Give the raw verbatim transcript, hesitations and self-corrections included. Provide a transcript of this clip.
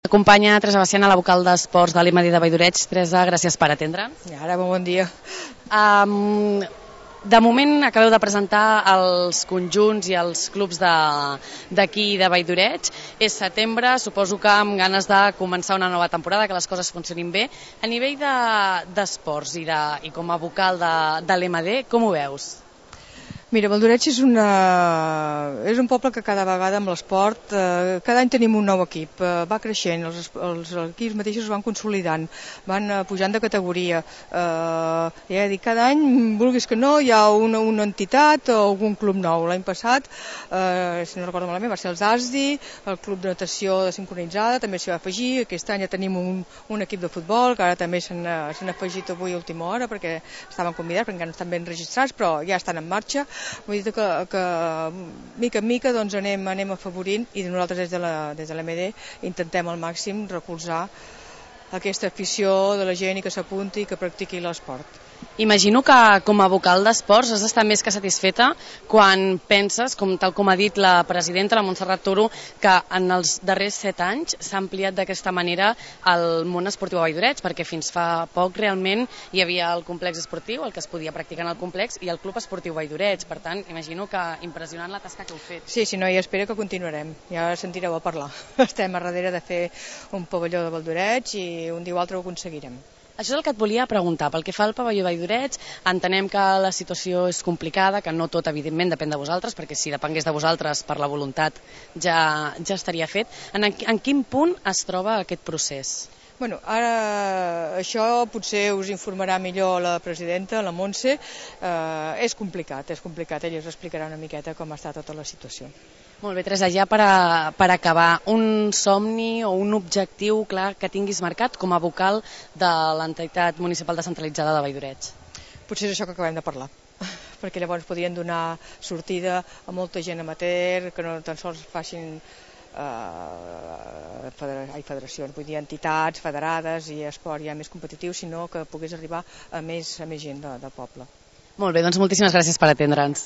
Acompanya Teresa Baciana, la vocal d'esports de l'E M D de Valldoreig. Teresa, gràcies per atendre'ns. I ara, bon dia. Um, de moment acabeu de presentar els conjunts i els clubs d'aquí de Valldoreig. És setembre, suposo que amb ganes de començar una nova temporada, que les coses funcionin bé. A nivell d'esports de, i, de, i com a vocal de, de l'E M D, com ho veus? Mira, Valldoreig és, una, és un poble que cada vegada amb l'esport, eh, cada any tenim un nou equip, eh, va creixent, els, els equips mateixos es van consolidant, van eh, pujant de categoria. Eh, ja he dit, cada any, vulguis que no, hi ha una, una entitat o algun club nou. L'any passat, eh, si no recordo malament, va ser els A S D I, el club de natació de sincronitzada, també s'hi va afegir. Aquest any ja tenim un, un equip de futbol, que ara també s'han afegit avui a última hora, perquè estaven convidats, perquè encara no estan ben registrats, però ja estan en marxa. Vull dir que, que mica en mica doncs, anem, anem afavorint i nosaltres des de la, des de l'E M D intentem al màxim recolzar aquesta afició de la gent i que s'apunti i que practiqui l'esport. Imagino que com a vocal d'esports has d'estar més que satisfeta quan penses, com tal com ha dit la presidenta, la Montserrat Toro, que en els darrers set anys s'ha ampliat d'aquesta manera el món esportiu a Valldoreig, perquè fins fa poc realment hi havia el complex esportiu, el que es podia practicar en el complex, i el club esportiu Valldoreig. Per tant, imagino que impressionant la tasca que heu fet. Sí, sí, no, i espero que continuarem. Ja sentireu a parlar. Estem a darrere de fer un pavelló de Valldoreig i un dia o altre ho aconseguirem. Això és el que et volia preguntar. Pel que fa al pavelló Valldoreig, entenem que la situació és complicada, que no tot, evidentment, depèn de vosaltres, perquè si depengués de vosaltres per la voluntat ja, ja estaria fet. En, en quin punt es troba aquest procés? Bueno, ara això potser us informarà millor la presidenta, la Montse. Eh, és complicat, és complicat. Ella us explicarà una miqueta com està tota la situació. Molt bé, Teresa, ja per, a, per acabar, un somni o un objectiu clar que tinguis marcat com a vocal de l'entitat municipal descentralitzada de Valldoreig? Potser és això que acabem de parlar, perquè llavors podrien donar sortida a molta gent amateur, que no tan sols facin eh, federacions, vull dir entitats federades i esport ja més competitiu, sinó que pogués arribar a més, a més gent de, del poble. Molt bé, doncs moltíssimes gràcies per atendre'ns.